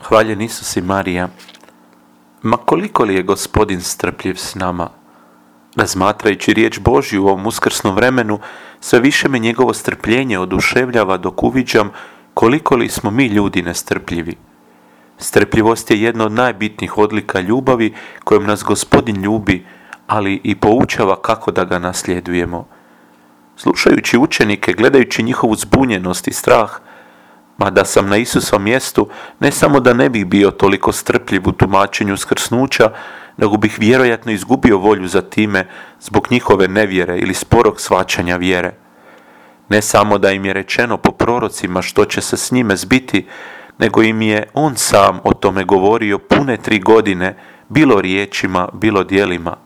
Hvaljen Isus i Marija. Ma koliko li je Gospodin strpljiv s nama? Razmatrajući riječ Božju u ovom uskrsnom vremenu, sve više me njegovo strpljenje oduševljava dok uviđam koliko li smo mi ljudi nestrpljivi. Strpljivost je jedna od najbitnijih odlika ljubavi kojom nas Gospodin ljubi, ali i poučava kako da ga nasljedujemo. Slušajući učenike, gledajući njihovu zbunjenost i strah, mada sam na Isusovom mjestu, ne samo da ne bih bio toliko strpljiv u tumačenju uskrsnuća, nego bih vjerojatno izgubio volju za time zbog njihove nevjere ili sporog shvaćanja vjere. Ne samo da im je rečeno po prorocima što će se s njime zbiti, nego im je on sam o tome govorio pune 3 godine, bilo riječima, bilo djelima.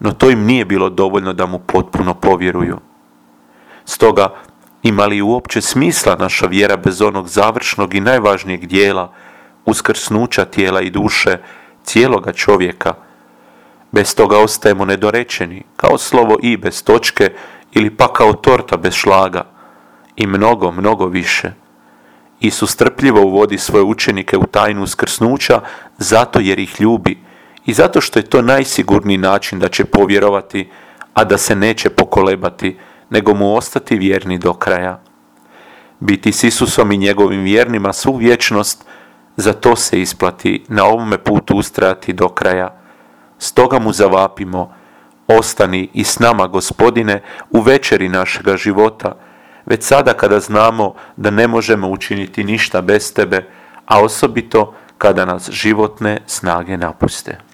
No to im nije bilo dovoljno da mu potpuno povjeruju. Stoga, ima li uopće smisla naša vjera bez onog završnog i najvažnijeg dijela, uskrsnuća tijela i duše, cijeloga čovjeka? Bez toga ostajemo nedorečeni, kao slovo i bez točke ili pa kao torta bez šlaga. I mnogo, mnogo više. Isus strpljivo uvodi svoje učenike u tajnu uskrsnuća zato jer ih ljubi i zato što je to najsigurniji način da će povjerovati, a da se neće pokolebati, nego mu ostati vjerni do kraja. Biti s Isusom i njegovim vjernima svu vječnost, za to se isplati na ovome putu ustrajati do kraja. Stoga mu zavapimo, ostani i s nama, Gospodine, u večeri našega života, već sada kada znamo da ne možemo učiniti ništa bez tebe, a osobito kada nas životne snage napuste.